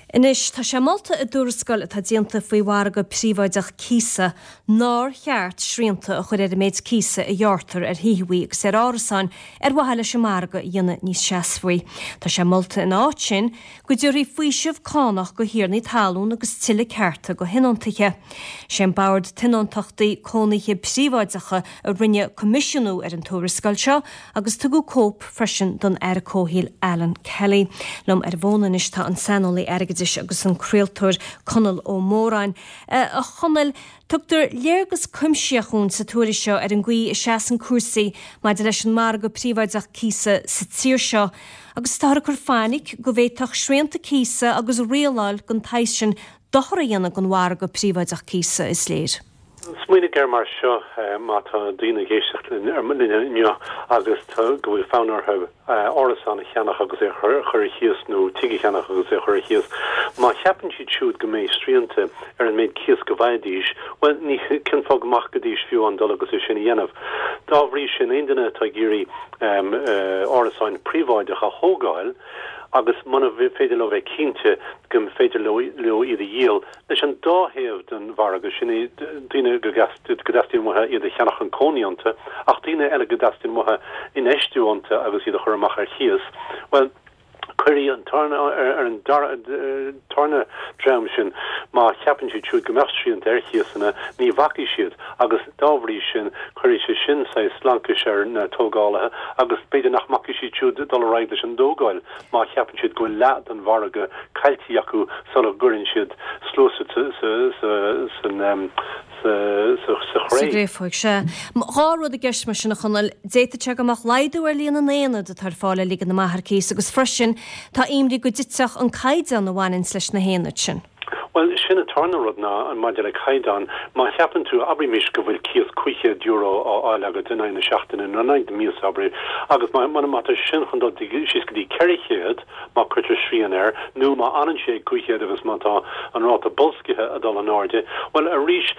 Anois, tá sé molta i dtuarascáil atá déanta faoi mhargadh príobháideach cíosa nár cheart srianta a chur ar an méid cíosa a ghearrtar ar thithe agus ar árasáin ar mhaithe leis an margadh a dhéanamh níos seasmhaí. Tá sé molta ina áit sin go dtabharfaí faoiseamh cánach go thiarnaí talún agus tuilleadh cearta go thionóntaithe. Sé an Bord Tionóntachtaí Cónaithe Príobháideacha a rinne coimisiúnú ar an tuarascáil seo agus tugadh cóip freisin don Aire Comhshaoil Alan Kelly. Liom ar an bhfón anois tá an saineolaí airgeadais agus an craoltóir Conall Ó Móráin. A Chonaill, tugtar léargas cuimsitheach dhúinn sa tuairisc seo ar an gcaoi a seasann cúrsaí maidir leis an margadh príobháideach cíosa sa tír seo agus táthar ag cur fainic go bhféadfadh srianta cíosa agus rialáil den tsaghas sin dochar a dhéanamh don mhargadh príobháideach cíosa, is léir. Smaoinigh air mar seo, má tá daoine ag éisteacht linn inniu agus go bhfuil fonn orthu árasán a cheannach agus é a chur ar chíos nó tigh a cheannach agus é a chur ar chíos, má cheapann siad siúd go mbeidh srianta ar an méid cíos go bhfaighidís, bhuel, ní, cén fáth go mbacfaidís fiú amháin dul agus é sin a dhéanamh? Dá bhrí sin, aon duine atá ag iarraidh árasáin príobháideacha a thógáil agus muna féidir leo bheith cinnte go féidir leo iad a dhíol, Leis an dá thaobh den mhargadh, sin é, daoine go dteastaíonn uathu iad a cheannach chun cónaí iontu, ach daoine eile go dteastaíonn uathu infheistiú iontu agus iad a chur amach ar chíos, bhuel, cuirfidh an tarna, ar an tarna dream sin, má cheapann siad siúd go mbeadh srianta ar chíosanna, ní bhacfaidh siad agus dá bhrí sin, cuirfidh sé sin saghas laincis ar na tógálaithe agus b'fhéidir nach mbacfaidh siad siúd dul ar aghaidh leis an dtógáil. má cheapann siad go bhfuil leath den mhargadh caillte acu sula gcuireann siad sluasaid sa chré. Sa gcréafóig, sea. Dhá rud i gceist mar sin, a Chonaill. D'fhéadfadh sé go mbeadh laghdú ar líon na n-aonad atá ar fáil le ligean amach ar cíos agus freisin tá imní go dtitfeadh an caighdeán a bhaineanns leis na haonaid sin. Bhuel, sin an tarna rud ná maidir le caighdeán, má cheapann tú, abraimis go bhfuil cíos €500 á fháil agat in aghaidh na seachtaine nó in aghaidh na míosa, abair, agus má, má tá sin chun dul síos go dtí 400, má cuirtear srian air, nó má fhanann sé ag 500 agus má tá an ráta boilscithe ag dul in airde, bhuel, arís,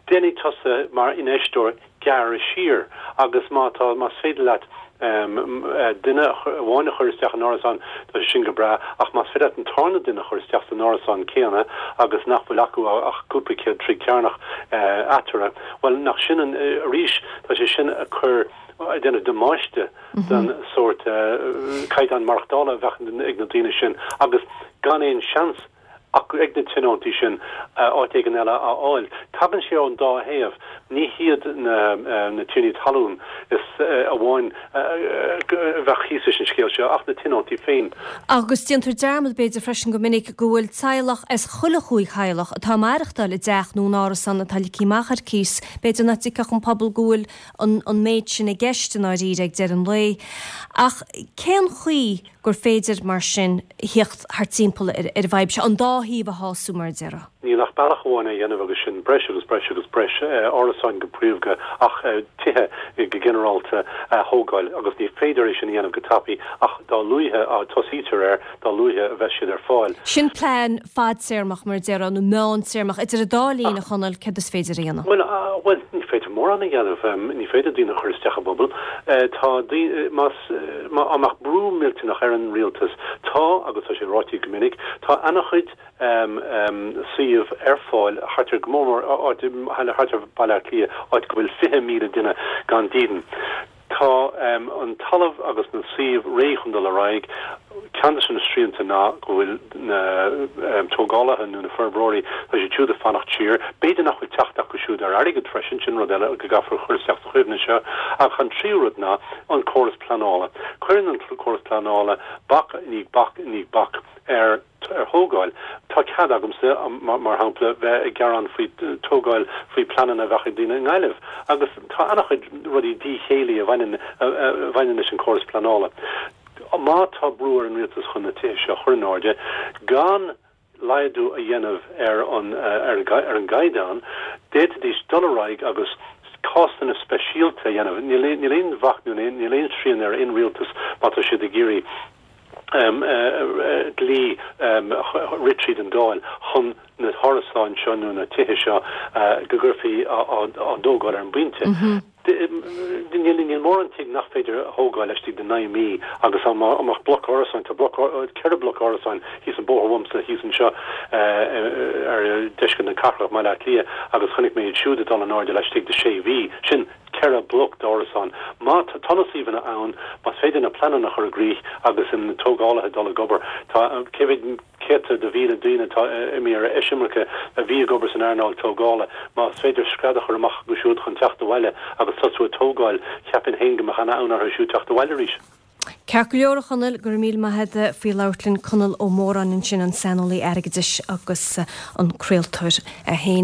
Déanfaidh tusa mar infheisteoir gearradh siar agus má tá, más féidir leat duine amháin a chur isteach in árasán, tá sé sin go breá, ach más féidir leat an tarna duine a chur isteach san árasán céanna agus nach bhfuil acu ach cúpla céad troigh cearnach eatarthu, bhuel, nach sin an, arís, tá sé sin ag cur, ag déanamh damáiste don sórt caighdeán maireachtála a bheadh ag na daoine sin agus gan aon seans acu ag na tionóntaí sin áit éigin eile a fháil. Tagann sé ón dá thaobh. Ní hiad na tiarnaí talún is amháin a bheadh thíos leis an scéal seo ach na tionóntaí féin. Agus déantar dearmad, b'fhéidir, freisin go minic go bhfuil teaghlach as chuile chúig theaghlach atá ag maireachtáil i dteach nó in árasán atá ligthe amach ar cíos. B'fhéidir nach dtuigfeadh an pobal go bhfuil an méid sin i gceist i ndáiríre ag deireadh an lae. Ach cén chaoi gur féidir, mar sin, theacht thart timpeall ar an bhfadhb seo, an dá thaobh a shású, mar a déarfá. Níl ach bealach amháin é a dhéanamh agus sin breis agus breis agus breis árasáin go príomha ach tithe go ginearálta a thógáil agus ní féidir é sin a dhéanamh go tapaidh ach dá luaithe a tosaítear air, dá luaithe a bheas siad ar fáil. Sin plean fadtéarmach, mar a déarfá, nó meántéarmach. Idir an dá linn, a Chonaill, céard is féidir a dhéanamh? Bhuel, bhuel, ní féidir mórán a dhéanamh. Ní féidir daoine a chur isteach i bpubaill. Tá daoine, más, má mbeadh brú millteanach ar an rialtas, tá, agus tá sé ráite go minic, tá ana-chuid suíomh ar fáil thart ar, go mór mór áit, thart ar Bhaile Átha Cliath, áit go bhfuil 20,000 duine gan dídean. Tá an talamh agus na suímh réidh chun dul ar aghaidh. Ceann de na srianta ná go bhfuil na tógálaithe nó na forbróirí, tá siad siúd ag fanacht siar. B'fhéidir nach bhfuil teacht acu siúd ar airgead freisin, sin rud eile go gcaithfear a chur isteach sa chuimhne seo. Ach an tríú rud ná an córas pleanála. Cuireann an córas pleanála bac i ndiaidh bac i ndiaidh bac ar. ar thógáil. Tá cead agamsa, mar shampla, bheith ag gearán faoi tógáil, faoi pleananna a bheadh ag daoine i nGaillimh. Agus tá an-chuid rudaí díchéillí a bhaineann a bhaineann leis an córas pleanála. Má tá brú ar an rialtas chun na tithe seo a chur in airde, gan laghdú a dhéanamh ar an ar an gcaighdeán, d'fhéadfaidís dul ar aghaidh agus cásanna speisialta a dhéanamh. Níl aon bhac nó níl aon srian ar aon rialtas má tá siad ag iarraidh dlí a rith tríd an Dáil chun na hárasáin seo nó na tithe seo go gcuirfí á dtógáil ar an bpointe. Níl mórán tigh nach féidir a thógáil laistigh de 9 mí agus dá mbeadh bloc árasáin, tá bloc, 4 bloc árasáin thíos an bóthar uaimse thíos anseo ar deisceart na cathrach i mBaile Átha Cliath agus chonaic mé iad siúd ag dul in airde laistigh de 6 mhí. Sin 4 bloc d'árasáin. Má tá na suíomhanna ann, más féidir na pleananna a chur i gcrích agus na tógálaithe dul ag obair, tá, cé mhéad céadta de mhíle daoine atá imithe ar eisimirce a bhí ag obair san earnáil tógála. Más féidir scread a chur amach acu siúd chun teacht abhaile agus tosú ag tógáil, cheapfainn féin go mbeadh ana-fhonn orthu siúd teacht abhaile arís. Ceart go leor, a Chonaill, go raibh míle maith agat faoi labhairt linn. Conall Ó Móráin ansin, an saineolaí airgeadais agus an craoltóir é féin.